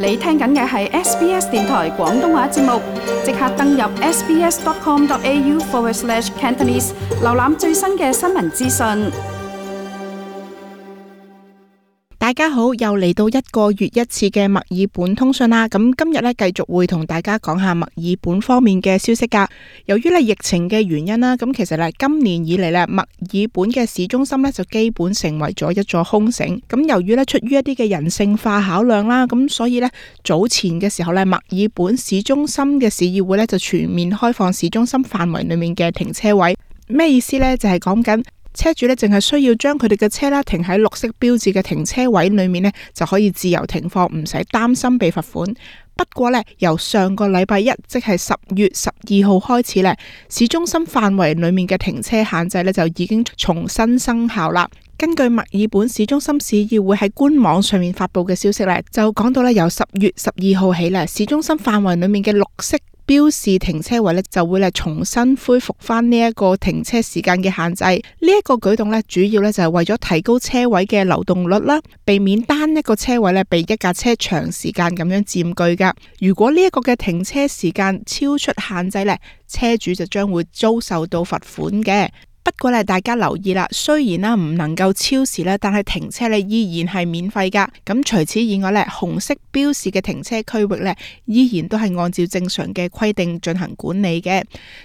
你聽緊嘅係 SBS 電台廣東話節目，即刻登入 sbs.com.au/Cantonese 瀏覽最新嘅新聞資訊。大家好，又嚟到一個月一次嘅墨爾本通訊啦。咁今日咧繼續會同大家講下墨爾本方面嘅消息噶。由於疫情嘅原因啦，咁其實今年以嚟墨爾本嘅市中心就基本成為咗一座空城。咁由於出於一啲嘅人性化考量啦，咁所以早前嘅時候墨爾本市中心嘅市議會就全面開放市中心範圍裏面嘅停車位。咩意思呢？就係講緊車主淨係需要將佢哋嘅車停喺綠色標誌嘅停車位裏面就可以自由停放，唔使擔心被罰款。不過由上個禮拜一，即係10月12號開始市中心範圍裏面嘅停車限制就已經重新生效啦。根據墨爾本市中心市議會喺官網上面發佈嘅消息就講到由10月12號起市中心範圍裏面嘅綠色標示停車位就會重新恢復翻呢一個停車時間嘅限制。呢一個舉動主要就係為咗提高車位嘅流動率啦，避免單一個車位被一架車長時間咁樣佔據噶。如果呢一個嘅停車時間超出限制車主就將會遭受到罰款嘅。不過大家留意啦，雖然唔能夠超時但係停車依然係免費噶。咁除此以外紅色標示嘅停車區域依然都係按照正常嘅規定進行管理嘅。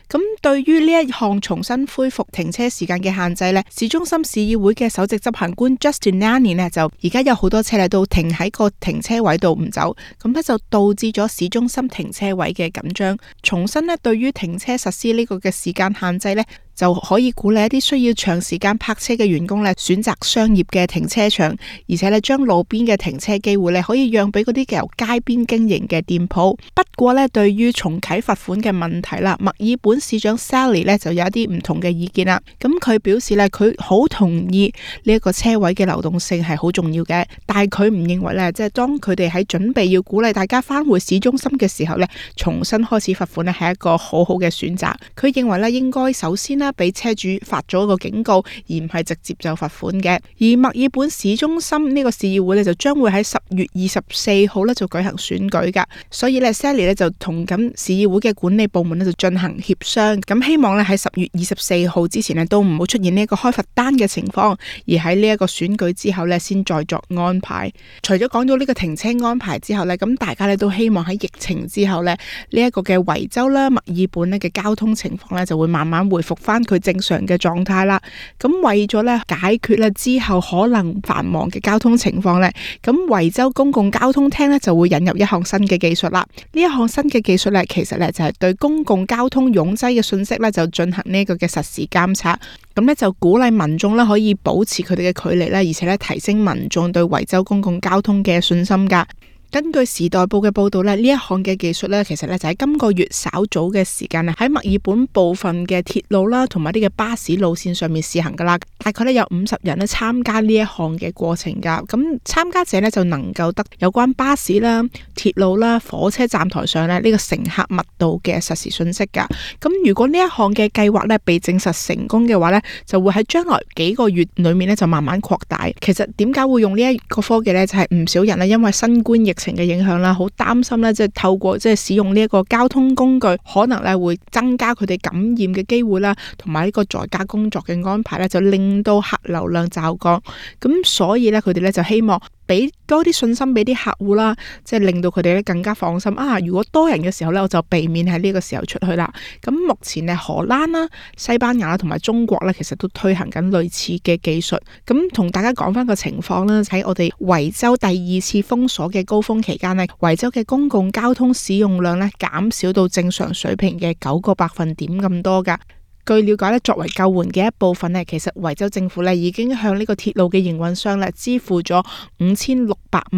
咁對於呢一項重新恢復停車時間嘅限制市中心市議會嘅首席執行官 Justin Nani 就而家有好多車都停喺個停車位度唔走，咁就導致咗市中心停車位嘅緊張。重新對於停車實施呢個嘅時間限制就可以鼓勵一啲需要長時間泊車嘅員工選擇商業嘅停車場，而且將路邊嘅停車機會可以讓俾嗰啲由街邊經營嘅店鋪。不過對於重啟罰款嘅問題啦，墨爾本市長 Sally 就有一啲唔同嘅意見啦。咁佢表示佢好同意呢一個車位嘅流動性係好重要嘅，但係佢唔認為即係當佢哋喺準備要鼓勵大家返回市中心嘅時候重新開始罰款係一個好好嘅選擇。佢認為應該首先俾車主發咗一個警告，而唔係直接就罰款嘅。而墨爾本市中心呢個市議會就將會喺10月24號就舉行選舉噶，所以Sally 就同緊市議會嘅管理部門就進行協商，咁希望喺10月24號之前都唔好出現呢一個開罰單嘅情況，而喺呢一個選舉之後先再作安排。除咗講到呢個停車安排之後咁大家都希望喺疫情之後呢一個嘅維州啦、墨爾本嘅交通情況就會慢慢回復翻佢正常嘅狀態啦。咁為咗解決之後可能繁忙嘅交通情況咁維州公共交通廳就會引入一項新嘅技術啦。呢一項新嘅技術其實就係對公共交通擁擠嘅信息就進行呢個嘅實時監測，咁就鼓勵民眾可以保持佢哋嘅距離而且提升民眾對維州公共交通嘅信心噶。根據時代報嘅報道呢一項嘅技術其實就喺今個月稍早嘅時間喺墨爾本部分嘅鐵路啦同埋啲嘅巴士路線上面試行噶啦。大概有50人參加呢一項嘅過程噶。咁參加者就能夠得有關巴士啦、鐵路啦、火車站台上呢個乘客密度嘅實時信息噶。咁如果呢一項嘅計劃被證實成功嘅話就會喺將來幾個月裏面就慢慢擴大。其實點解會用呢一個科技就係唔少人因為新冠疫情嘅影響啦，好擔心即係透過使用呢一個交通工具，可能會增加佢哋感染嘅機會啦，同埋呢個在家工作嘅安排就令到客流量驟降。咁所以佢哋就希望俾多啲信心俾啲客戶啦，即係令到佢哋更加放心啊！如果多人嘅時候我就避免喺呢個時候出去啦。咁目前荷蘭啦、西班牙啦同埋中國其實都推行緊類似嘅技術。咁同大家講翻個情況啦，喺我哋維州第2次封鎖嘅高峰期間維州嘅公共交通使用量減少到正常水平嘅9個百分點咁多噶。據了解作為救援嘅一部分其實維州政府已經向呢個鐵路嘅營運商支付咗5600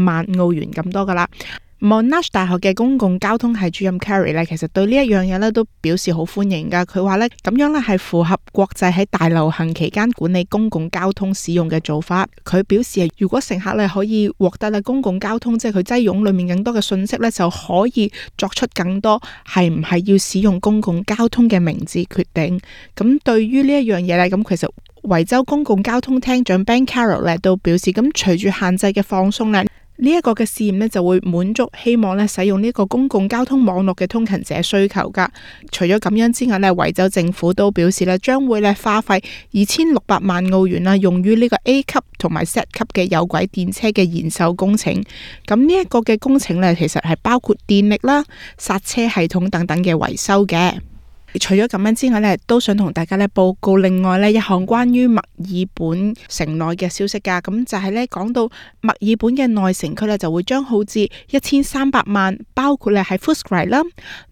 萬澳元咁多噶啦。Monash 大學嘅公共交通系主任 Carrie 其實對呢一樣嘢都表示好歡迎噶。佢話咁樣係符合國際喺大流行期間管理公共交通使用嘅做法。佢表示如果乘客可以獲得公共交通即係佢擠擁裏面更多嘅信息就可以作出更多係唔係要使用公共交通嘅明智決定。咁對於呢一樣嘢咁其實維州公共交通廳長 Ben Carroll 都表示，咁隨住限制嘅放鬆呢一個嘅試驗呢，就會滿足希望咧使用呢個公共交通網絡嘅通勤者需求噶。除咗咁樣之外呢，維州政府都表示咧將會咧花費2600萬澳元啦，用於呢個 A 級同埋 Z 級嘅有軌電車嘅延壽工程。咁呢一個嘅工程呢，其實係包括電力啦、剎車系統等等嘅維修嘅。除咗咁樣之外呢，都想同大家咧報告另外呢一項關於墨爾本城內嘅消息噶。咁就係呢講到墨爾本嘅內城區呢，就會將耗至1300萬，包括咧喺 Footscray 啦、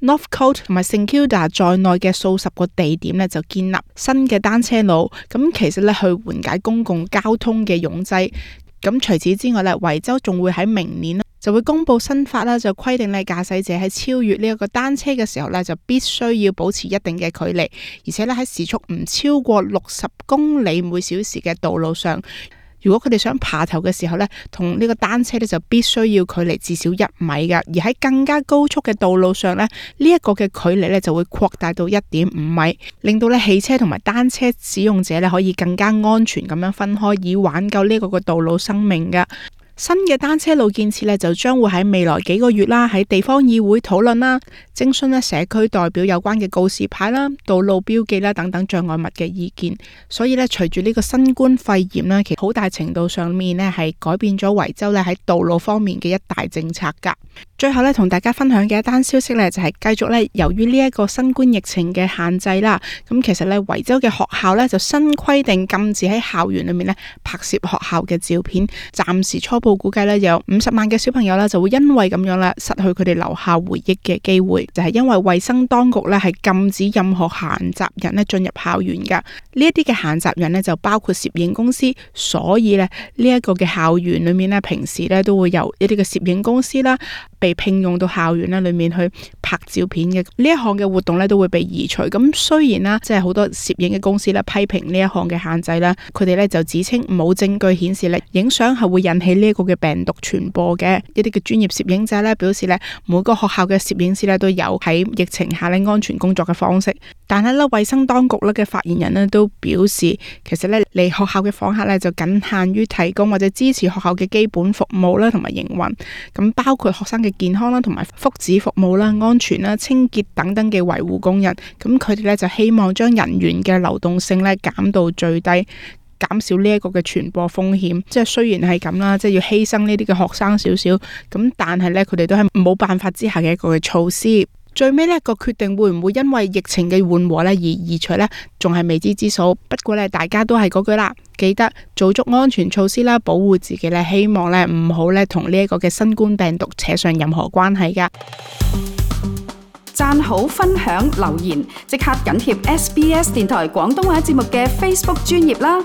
Northcote 同埋 St Kilda 在內嘅數十個地點呢，就建立新嘅單車路。咁其實呢，去緩解公共交通嘅擁擠。咁除此之外呢，維州仲會喺明年就會公布新法啦，就規定咧駕駛者喺超越呢一個單車嘅時候呢，就必須要保持一定嘅距離，而且咧喺時速唔超過60公里每小時嘅道路上，如果佢哋想爬頭嘅時候呢，同呢個單車呢，就必須要距離至少1米噶。而喺更加高速嘅道路上呢，呢一個嘅距離呢，就會擴大到1.5米，令到呢汽車同埋單車使用者呢，可以更加安全咁樣分開，以挽救呢個嘅道路生命噶。新嘅單車路建設呢，就將會喺未來幾個月啦，喺地方議會討論啦，徵詢咧社區代表有關嘅告示牌啦、道路標記啦等等障礙物嘅意見。所以呢，隨住呢個新冠肺炎呢，其實好大程度上面呢係改變咗維州呢喺道路方面嘅一大政策噶。最後呢，同大家分享嘅一單消息呢，就係繼續呢，由於呢一個新冠疫情嘅限制啦，咁其實呢，維州嘅學校呢，就新規定禁止喺校園裏面呢拍攝學校嘅照片。暫時初步估計呢，有50萬嘅小朋友呢，就會因為咁樣啦失去佢哋留下回憶嘅機會，就係因為衛生當局呢，係禁止任何閒雜人呢進入校園噶。呢一啲嘅閒雜人呢，就包括攝影公司，所以呢，呢一個嘅校園裏面呢，平時呢，都會有一啲嘅攝影公司啦，被聘用到校園咧裏面去拍照片嘅。呢一項嘅活動咧都會被移除。咁雖然啦，即係好多攝影嘅公司咧批評呢一項嘅限制啦，佢哋咧就指稱冇證據顯示咧影相係會引起呢一個嘅病毒傳播嘅。一啲嘅專業攝影者咧表示咧，每個學校嘅攝影師咧都有喺疫情下咧安全工作嘅方式。但係咧，衛生當局咧嘅發言人咧都表示，其實咧嚟學校嘅訪客咧就僅限於提供或者支持學校嘅基本服務啦，同埋營運。咁包括學生嘅健康啦，同埋福祉服務啦、安全啦、清潔等等嘅維護工人。咁佢哋咧就希望將人員嘅流動性咧減到最低，減少呢一個嘅傳播風險。即係雖然係咁啦，即係要犧牲呢啲嘅學生少少，咁但係咧佢哋都係冇辦法之下嘅一個嘅措施。最尾呢個決定會唔會因為疫情嘅緩和咧而移除呢？仲係未知之數。不過咧，大家都係嗰句啦，記得做足安全措施啦，保護自己咧，希望咧唔好咧同呢一個嘅新冠病毒扯上任何關係噶。讚好、分享、留言，即刻緊貼SBS 電台廣東話節目嘅 Facebook 專頁啦。